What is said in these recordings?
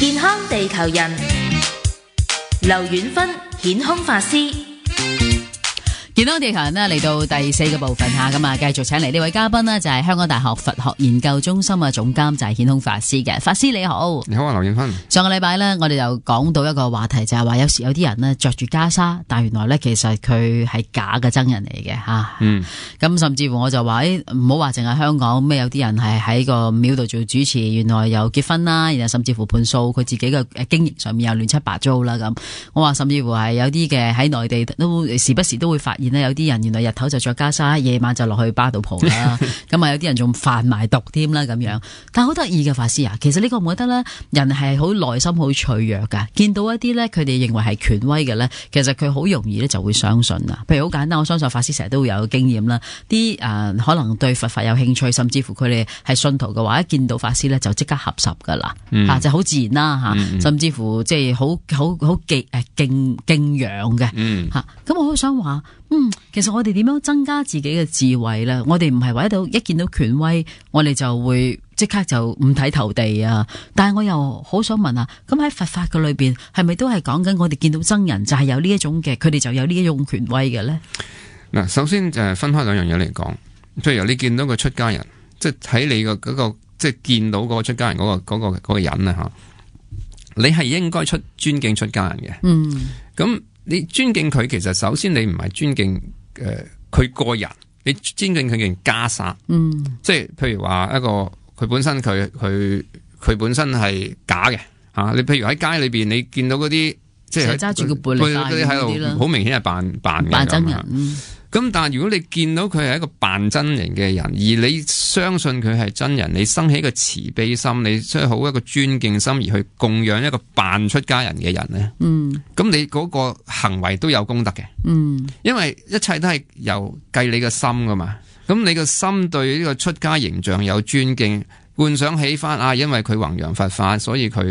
健康地球人，劉遠芬顯空法師。健康地球人呢嚟到第4個部分吓，咁啊繼續請嚟呢位嘉賓呢，就係香港大學佛學研究中心嘅總監，就係顯空法師嘅。法師你好。你好啊，劉遠芬。上個禮拜呢，我哋就講到一個話題，就係話有時有啲人呢着住袈裟，但原來呢其實佢係假嘅僧人嚟嘅吓。咁甚至乎我就話唔好話淨係香港咩，有啲人係喺個廟度做主持，原來又結婚啦，然後甚至乎盤數佢自己嘅經營上面又亂七八糟啦咁。我話甚至乎係有啲嘅喺內地都時不時都會發現有啲人原來日頭就着袈裟，夜晚就落去巴度蒲啦。咁啊有啲人仲販埋毒添啦咁樣。但係好得意嘅法師啊，其實呢個我覺得咧，人係好內心好脆弱噶。見到一啲咧，佢哋認為係權威嘅咧，其實佢好容易咧就會相信啊。譬如好簡單，我相信法師成日都會有經驗啦。啲可能對佛法有興趣，甚至乎佢哋係信徒嘅話，一見到法師咧就即刻合十噶啦，就好自然啦吓。甚至乎即係好敬仰嘅吓。咁我好想話。其實我哋點樣增加自己嘅智慧咧？我哋唔係話一見到權威，我哋就會即刻就五體投地啊！但係我又好想問啊，咁喺佛法嘅裏邊，係咪都係講緊我哋見到僧人就係有呢一種嘅，佢哋就有呢一種權威嘅咧？嗱，首先就係分開兩樣嘢嚟講，譬如你見到個出家人，即係睇你個嗰個，即係見到嗰個出家人嗰個人啊吓，你係應該尊敬出家人嘅。咁。你尊敬佢，其實首先你唔係尊敬佢個人，你尊敬佢嘅袈裟。即係譬如話一個佢本身佢本身係假嘅吓。你譬如喺街裏邊，你見到嗰啲即係揸住個背嗰啲喺度，好明顯係扮真人。咁但係如果你見到佢係一個扮真人嘅人，而你相信佢係真人，你生起一個慈悲心，你出好一個尊敬心，而去供養一個扮出家人嘅人咧，咁你嗰個行為都有功德嘅。因為一切都係由計你嘅心噶嘛。咁你個心對呢個出家形象有尊敬，幻想起翻啊，因為佢弘揚佛法，所以佢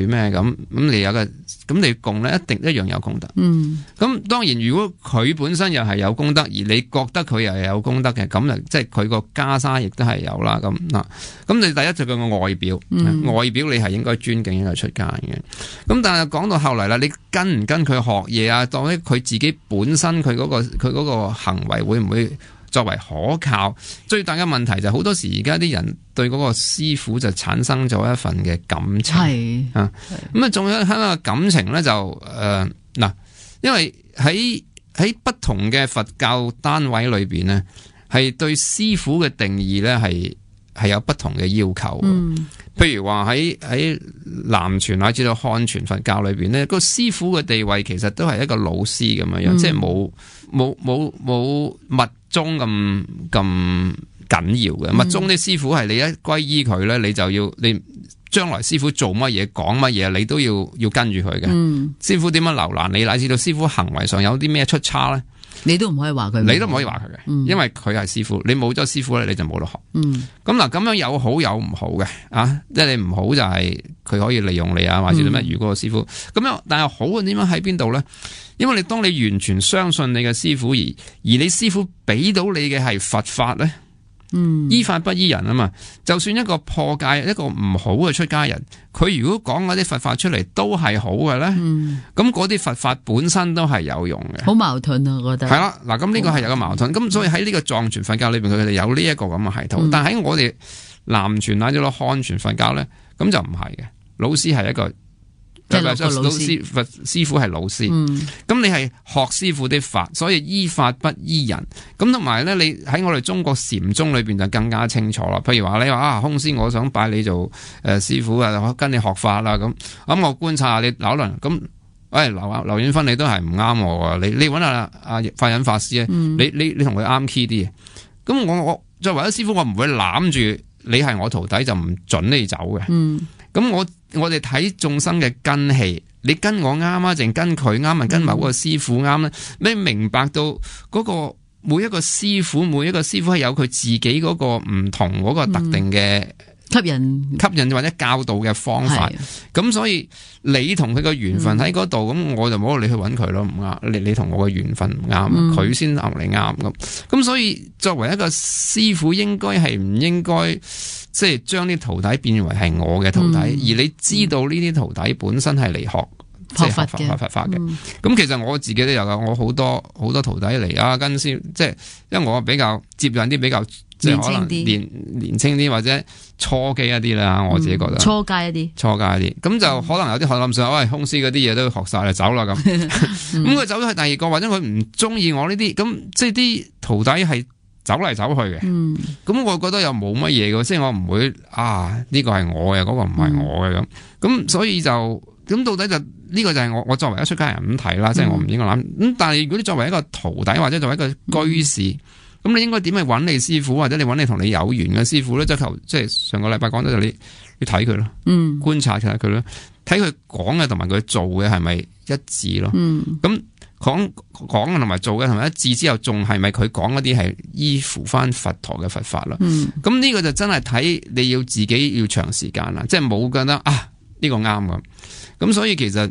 咩咁你有個咁你供咧，一定一樣有功德。咁當然如果佢本身又係有功德，而你覺得佢又係有功德嘅，咁啊即係佢個袈裟亦都係有啦。咁你第一就佢個外表，外表你係應該尊敬一個出家人嘅。咁但係講到後嚟啦，你跟唔跟佢學嘢啊？當佢自己本身佢嗰個行為會唔會作為可靠？最大嘅問題就係好多時而家啲人對嗰個師傅就產生咗一份嘅感情。咁啊，仲有喺個感情咧就因為喺不同嘅佛教單位裏邊呢，係對師傅嘅定義咧係有不同嘅要求。譬如話喺南傳乃至到漢傳佛教裏邊呢，個師傅嘅地位其實都係一個老師咁樣，即係冇密宗咁緊要嘅。密宗啲師傅係你一歸依佢咧，你就要你將來師傅做乜嘢講乜嘢，你都要跟住佢嘅。師傅點樣留難你，乃至到師傅行為上有啲咩出差咧，你都唔可以話佢，你都唔可以話佢嘅，因為佢係師傅，你冇咗師傅咧，你就冇得學。咁嗱，咁樣有好有唔好嘅啊，即係你唔好就係佢可以利用你啊，或者咩如果個師傅咁樣，但係好嘅點樣喺邊度咧？因為你當你完全相信你嘅師傅，而你師傅俾到你嘅係佛法咧，依法不依人啊嘛。就算一個破戒一個唔好嘅出家人，佢如果講嗰啲佛法出嚟都係好嘅咧，咁嗰啲佛法本身都係有用嘅。好矛盾啊，我覺得係啦。嗱，咁呢個係有個矛盾。咁所以喺呢個藏傳佛教裏邊，佢哋有呢一個咁嘅系統。但係喺我哋南傳乃至到漢傳佛教咧，咁就唔係嘅。老師係一個。老師佛師傅係老師，咁你係學師傅的法，所以依法不依人。咁同埋咧，你喺我哋中國禪宗裏邊就更加清楚啦。譬如話你話空師，我想拜你做師傅啊，跟你學法啦。咁我觀察下你扭輪咁，劉遠芬你都係唔啱我啊！你揾下阿法忍法師啊，你同佢啱 key 啲嘅。咁我作為一師傅，我唔會攬住你係我徒弟就唔准你走嘅。咁我哋睇眾生嘅根器，你跟我啱啊，定跟佢啱啊，跟某個師傅啱咧？你明白到嗰個每一個師傅係有佢自己嗰個唔同嗰個特定嘅吸引或者教導嘅方法。咁所以你同佢嘅緣分喺嗰度，咁我就冇你去揾佢咯，唔啱。你同我嘅緣分唔啱，佢先啱你啱咁。咁所以作為一個師傅，應該係唔應該即係將啲徒弟變為係我嘅徒弟，而你知道呢啲徒弟本身係嚟學佛嘅。咁其實我自己都有噶，我好多徒弟嚟啊，跟師即係因為我比較接近啲比較即係可能年輕啲或者初級一啲啦，我自己覺得初階一啲，咁就可能有啲學諗上，喂，空師嗰啲嘢都學晒啦，走啦咁。咁佢走咗去第二個，或者佢唔中意我呢啲，咁即係啲徒弟係走嚟走去嘅。咁我覺得又冇乜嘢嘅，即係我唔會呢個係我嘅，嗰個唔係我嘅咁。咁所以就咁到底就呢個就係我作為一出家人咁睇啦，即係我唔應該諗。咁但係如果你作為一個徒弟或者作為一個居士，咁你應該點去揾你師傅，或者你揾你同你有緣嘅師傅咧？即係上個禮拜講到就你睇佢咯，觀察下佢咯，睇佢講嘅同埋佢做嘅係咪一致咯？咁講嘅同埋做嘅同埋一致之後，仲係咪佢講嗰啲係依附翻佛陀嘅佛法咯？咁呢個就真係睇你要自己要長時間啦，即係冇覺得呢個啱咁。咁所以其實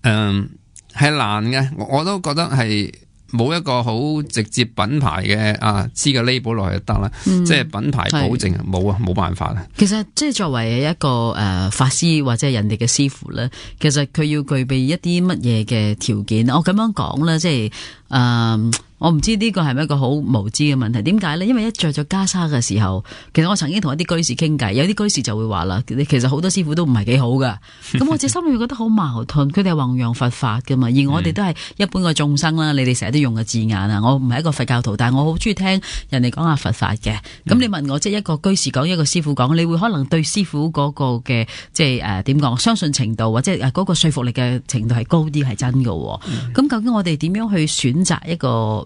係難嘅，我都覺得係。冇一個好直接品牌嘅黐個 label 落去就得啦，即係品牌保證冇辦法啦。其實即係作為一個法師或者人哋嘅師傅咧，其實佢要具備一啲乜嘢嘅條件？我咁樣講咧，即係我唔知呢個係咪一個好無知嘅問題？點解咧？因為一着咗袈裟嘅時候，其實我曾經同一啲居士傾偈，有啲居士就會話啦，其實好多師傅都唔係幾好噶。咁我自己心裏面覺得好矛盾，佢哋係弘揚佛法噶嘛，而我哋都係一般嘅眾生啦。你哋成日都用嘅字眼啊，我唔係一個佛教徒，但係我好中意聽人哋講下佛法嘅。咁你問我即係一個居士講，一個師傅講，你會可能對師傅嗰個嘅即係點講，相信程度或者嗰個說服力嘅程度係高啲，係真噶。咁究竟我哋點樣去選擇一個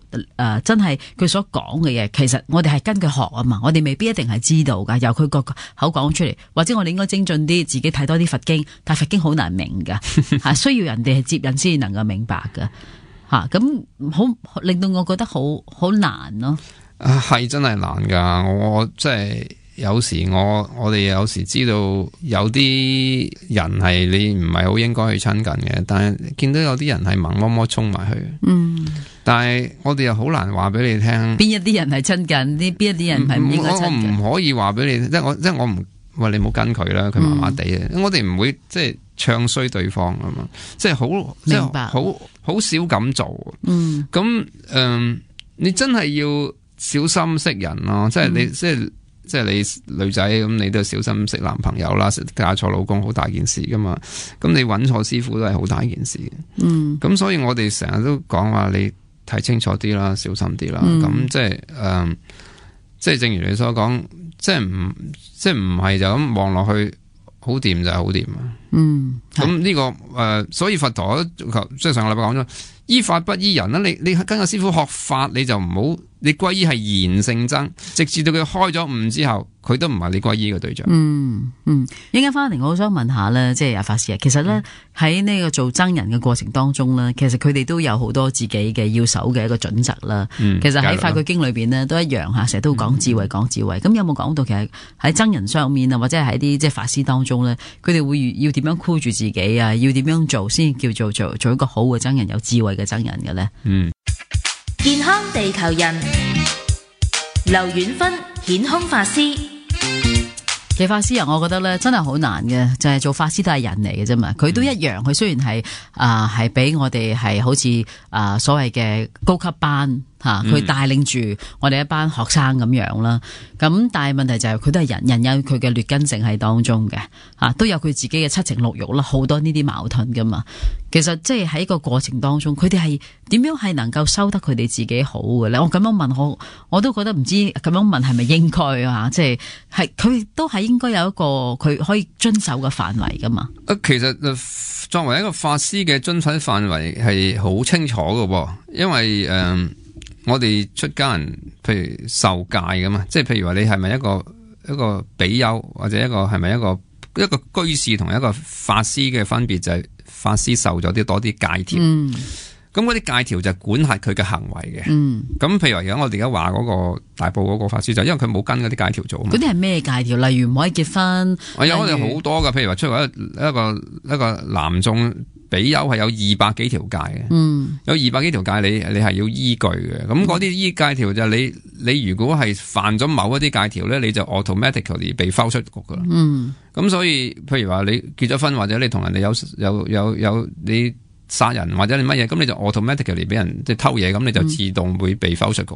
真係佢所講嘅嘢，其實我哋係跟佢學啊嘛，我哋未必一定係知道噶，由佢個口講出嚟，或者我哋應該精進啲，自己睇多啲佛經，但係佛經好難明噶，需要人哋係接引先能夠明白噶，咁好令到我覺得好難咯。係真係難噶，我即係有時我哋有時知道有啲人係你唔係好應該去親近嘅，但係見到有啲人係盲摸摸衝埋去。但係我哋又好難話俾你聽，邊一啲人係親近，邊一啲人係唔應該親近。我唔可以話俾你，即係我唔話你冇跟佢啦，佢麻麻地嘅，我哋唔會即係唱衰對方啊嘛，即係好明白，好少咁做。咁你真係要小心識人咯，即係你即係你女仔咁，你都要小心識男朋友啦，嫁錯老公好大件事噶嘛。咁你揾錯師傅都係好大件事。咁所以我哋成日都講話你睇清楚啲啦，小心啲啦。咁即係正如你所講，即係唔係就咁望落去好掂就係好掂啊。咁呢個所以佛陀即係上個禮拜講咗，依法不依人啦。你跟個師傅學法，你就唔好。你皈依係言性僧，直至到佢開咗悟之後，佢都唔係你皈依嘅對象。一陣間翻嚟，我好想問下咧，即係阿法師啊，其實咧喺呢個做僧人嘅過程當中咧，其實佢哋都有好多自己嘅要守嘅一個準則啦。其實喺《法句經》裏邊呢，都一樣吓，成日都講智慧，講智慧。咁有冇講到其實喺僧人上面啊，或者係喺啲即係法師當中咧，佢哋會要點樣箍住自己啊？要點樣做先叫做一個好嘅僧人，有智慧嘅僧人嘅咧？健康地球人，劉遠芬顯空法師。其實法師我覺得咧真係好難嘅，就係做法師都係人嚟嘅啫嘛，佢都一樣，佢雖然係俾我哋係好似所謂嘅高級班。佢帶領住我哋一班學生咁樣啦，咁但係問題就係佢都係人有佢嘅劣根性喺當中嘅，都有佢自己嘅七情六欲啦，好多呢啲矛盾噶嘛。其實即係喺個過程當中，佢哋係點樣係能夠收得佢哋自己好嘅咧？我咁樣問我都覺得唔知咁樣問係咪應該啊？即係佢都係應該有一個佢可以遵守嘅範圍噶嘛。其實作為一個法師嘅遵守範圍係好清楚嘅，因為我哋出家人，譬如受戒㗎嘛，即係譬如話你係咪一個比丘，或者係咪一個居士同一個法師嘅分別就係法師受咗啲多啲戒條。咁嗰啲戒條就管轄佢嘅行為嘅。咁譬如而家我哋而家話嗰個大埔嗰個法師就因為佢冇跟嗰啲戒條做。嗰啲係咩戒條？例如唔可以結婚。我哋好多噶，譬如話出嚟一個男眾比丘係有200幾條戒嘅。有200幾條戒你係要依據嘅。咁嗰啲依戒條就你如果係犯咗某一啲戒條咧，你就 automatically 被拋出局噶啦。咁所以譬如話你結咗婚或者你同人哋有你殺人或者你乜嘢，咁你就 automatically 俾人即係偷嘢，咁你就自動會被否出局。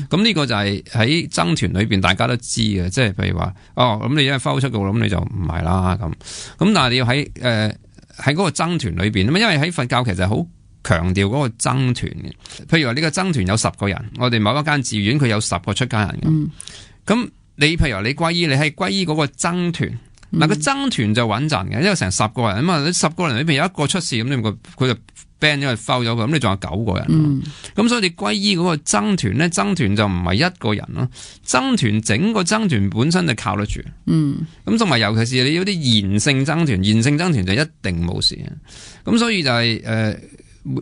咁呢個就係喺僧團裏邊大家都知嘅，即係譬如話咁你因為否出局，咁你就唔係啦咁。咁但係你要喺嗰個僧團裏邊，因為喺佛教其實好強調嗰個僧團嘅。譬如話呢個僧團有10個人，我哋某一間寺院佢有10個出家人嘅。咁你譬如話你皈依，你係皈依嗰個僧團。嗱，個僧團就穩陣嘅，因為成10個人啊嘛，你10個人裏邊有一個出事，咁你佢就 ban 咗佢 foul 咗佢，咁你仲有9個人。咁所以你皈依嗰個僧團咧，僧團就唔係一個人咯，僧團整個僧團本身就靠得住。咁同埋尤其是你有啲賢聖僧團，賢聖僧團就一定冇事。咁所以就係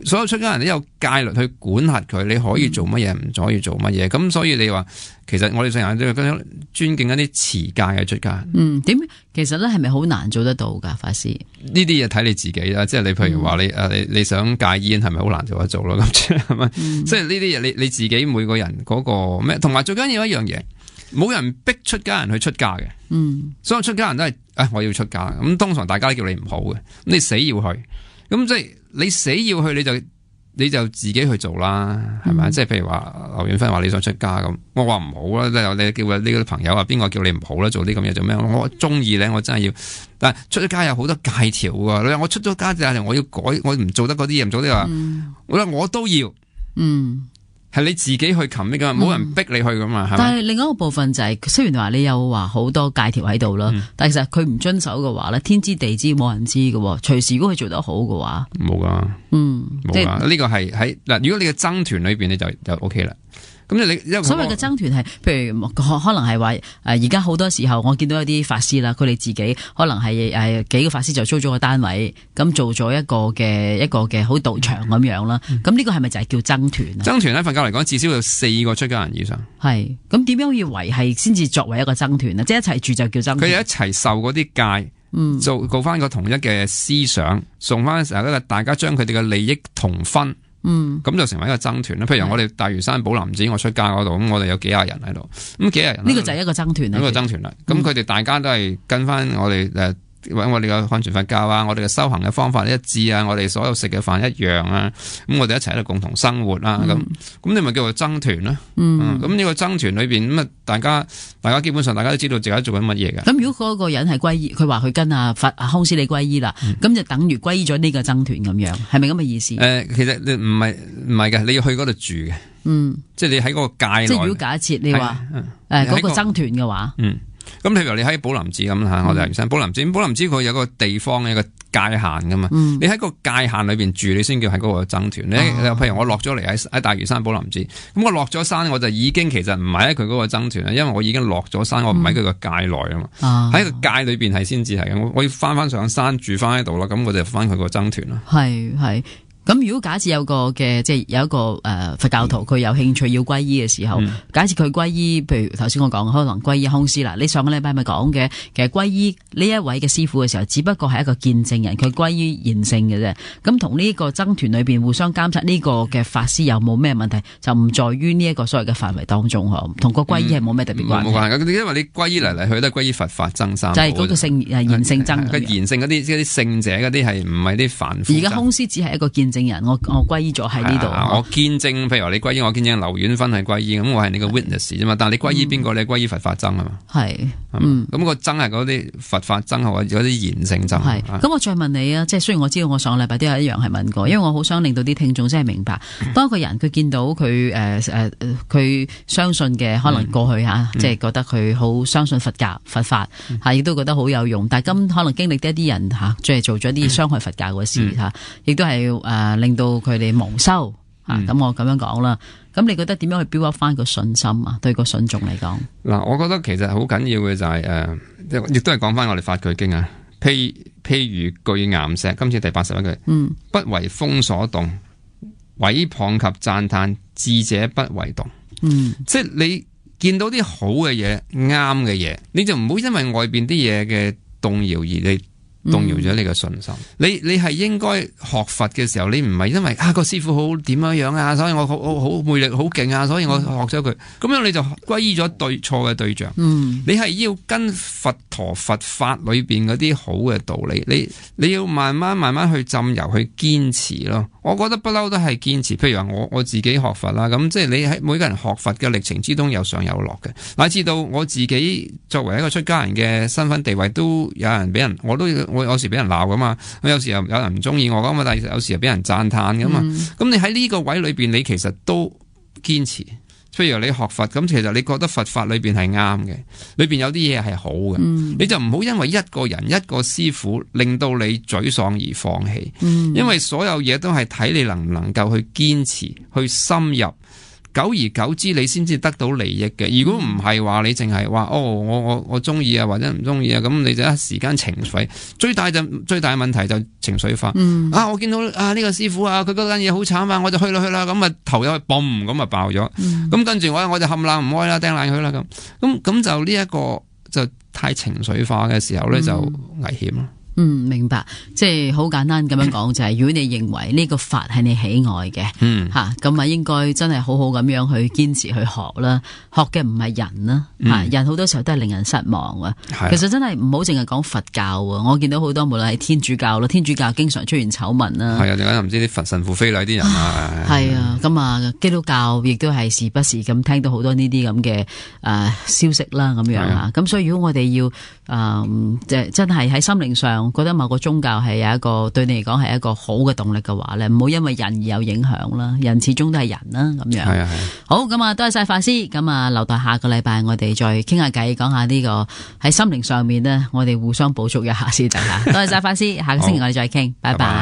所有出家人都有戒律去管轄佢，你可以做乜嘢，唔可以做乜嘢。咁所以你話，其實我哋成日都要尊敬一啲持戒嘅出家人。點？其實咧係咪好難做得到噶，法師？呢啲嘢睇你自己啦，即係你譬如話你想戒煙係咪好難做得做咯？咁係咪？即係呢啲嘢你自己每個人嗰個咩？同埋最緊要一樣嘢，冇人逼出家人去出家嘅。所有出家人都係我要出家。咁通常大家都叫你唔好嘅，咁你死要去。咁即係你死要去，你就自己去做啦，係咪？即係譬如話劉遠芬話你想出家咁，我話唔好啦。你叫呢個朋友啊，邊個叫你唔好啦？做啲咁嘢做咩？我中意咧，我真係要。但係出咗家有好多戒條噶，你話我出咗家就係我要改，我唔做得嗰啲嘢，唔做啲話，我都要。係你自己去commit噶，冇人逼你去噶嘛。但係另一個部分就係，雖然話你有話好多戒條喺度啦，但係其實佢唔遵守嘅話咧，天知地知冇人知嘅。隨時如果佢做得好嘅話，冇噶，冇噶。呢個係喺嗱，如果你嘅僧團裏邊你就 OK 啦。咁所謂嘅僧團係，譬如可能係話而家好多時候我見到有啲法師啦，佢哋自己可能係幾個法師就租咗個單位，咁做咗一個嘅好道場咁樣啦。咁呢個係咪就係叫僧團啊？僧團喺佛教嚟講，至少有4個出家人以上。係咁點樣要維繫先至作為一個僧團啊？即係一齊住就叫僧團。佢哋一齊受嗰啲戒，做翻個統一嘅思想，送翻成日大家將佢哋嘅利益同分。咁就成為一個僧團啦。譬如我哋大嶼山寶林寺，我出家嗰度，咁我哋有幾廿人喺度，咁幾廿人呢個就係一個僧團啦。一個僧團啦。咁佢哋大家都係跟翻我哋揾我哋嘅漢傳佛教啊，我哋嘅修行嘅方法一致啊，我哋所有食嘅飯一樣啊，咁我哋一齊喺度共同生活啦。咁你咪叫做僧團啦。咁呢個僧團裏邊咁啊，大家基本上大家都知道自己做緊乜嘢嘅。咁如果嗰個人係皈依，佢話佢跟康師理皈依啦，咁就等於皈依咗呢個僧團咁樣，係咪咁嘅意思？其實你唔係嘅，你要去嗰度住嘅。即係你喺嗰個界內。即係如果假設你話嗰個僧團嘅話。咁譬如你喺寶林寺咁吓，我哋大嶼山寶林寺，寶林寺佢有個地方有個界限噶嘛，你喺個界限裏邊住，你先叫喺嗰個僧團。你譬如我落咗嚟喺大嶼山寶林寺，咁我落咗山，我就已經其實唔係喺佢嗰個僧團啦，因為我已經落咗山，我唔喺佢個界內啊嘛。喺個界裏邊係先至係嘅，我要翻上山住翻喺度啦，咁我就翻佢個僧團啦。係。咁如果假設有個嘅即係有一個佛教徒佢有興趣要皈依嘅時候，假設佢皈依，譬如頭先我講可能皈依康師啦，你上個禮拜咪講嘅，其實皈依呢一位嘅師傅嘅時候，只不過係一個見證人，佢皈依賢聖嘅啫。咁同呢個僧團裏邊互相監察呢個嘅法師有冇咩問題，就唔在於呢一個所謂嘅範圍當中嗬，同個皈依係冇咩特別關係。冇關係，因為你皈依嚟嚟去都係皈依佛法僧三寶，就係嗰個賢聖僧。個賢聖嗰啲聖者嗰啲係唔係啲凡夫？而家康師只係一個見證人，我皈依咗喺呢度。我見證，譬如話你皈依，我見證劉遠芬係皈依，咁我係你個 witness 啫嘛。但係你皈依邊個？你皈依佛法僧啊嘛。係，咁個僧係嗰啲佛法僧或者嗰啲賢聖僧。係，咁我再問你啊，即係雖然我知道我上個禮拜都有一樣係問過，因為我好想令到啲聽眾真係明白，當一個人佢見到佢佢相信嘅可能過去即係覺得佢好相信佛教佛法亦都覺得好有用，但係可能經歷一啲人即係做咗啲傷害佛教嘅事亦都係令到佢哋蒙羞咁我咁樣講啦。咁你覺得點樣去 build up 翻個信心啊？對個信眾嚟講，嗱，我覺得其實好緊要嘅就係亦都係講翻我哋法句經啊。譬如巨岩石，今次第81句，不為風所動，毀謗及讚嘆，智者不為動。即係你見到啲好嘅嘢、啱嘅嘢，你就唔好因為外邊啲嘢嘅動搖而你動搖咗你嘅信心。你係應該學佛嘅時候，你唔係因為個師傅好點樣啊，所以我好魅力好勁啊，所以我學咗佢，咁樣你就歸依咗對錯嘅對象。你係要跟佛陀佛法裏邊嗰啲好嘅道理，你要慢慢去浸油去堅持咯。我覺得不嬲都係堅持。譬如話我自己學佛啦，咁即係你喺每個人學佛嘅歷程之中有上有落嘅。乃至到我自己作為一個出家人嘅身份地位，都有人俾人，我有時俾人鬧噶嘛，我有時又有人唔中意我噶嘛，但係有時又俾人讚嘆噶嘛。咁你喺呢個位裏邊，你其實都堅持。譬如你學佛，咁其實你覺得佛法裏邊係啱嘅，裏邊有啲嘢係好嘅，你就唔好因為一個人一個師傅令到你沮喪而放棄。因為所有嘢都係睇你能唔能夠去堅持去深入，久而久之你先至得到利益嘅。如果唔係話，你淨係話我中意啊或者唔中意啊，咁你就一時間情緒最大問題就情緒化。我見到呢個師傅啊，佢嗰間嘢好慘啊，我就去啦，咁啊頭又嘣咁啊爆咗。咁跟住我就冚冷唔開啦，掟爛佢啦咁就呢一個就太情緒化嘅時候咧，就危險咯。明白，即係好簡單咁樣講，就係如果你認為呢個法係你喜愛嘅，咁啊應該真係好好咁樣去堅持去學啦。學嘅唔係人啦，人好多時候都係令人失望啊。其實真係唔好淨係講佛教啊，我見到好多無論係天主教啦，天主教經常出現醜聞啦。係啊，點解唔知啲佛神父非禮啲人啊？係啊，咁啊基督教亦都係時不時咁聽到好多呢啲咁嘅消息啦，咁樣啊。咁所以如果我哋要真係喺心靈上覺得某個宗教係有一個對你嚟講係一個好嘅動力嘅話咧，唔好因為人而有影響啦。人始終都係人啦，咁樣。係啊係。好，咁啊，多謝晒法師。咁啊，留待下個禮拜我哋再傾下偈，講下呢個喺心靈上面呢，我哋互相補足一下先得吓。多謝晒法師，下個星期我哋再傾，拜拜。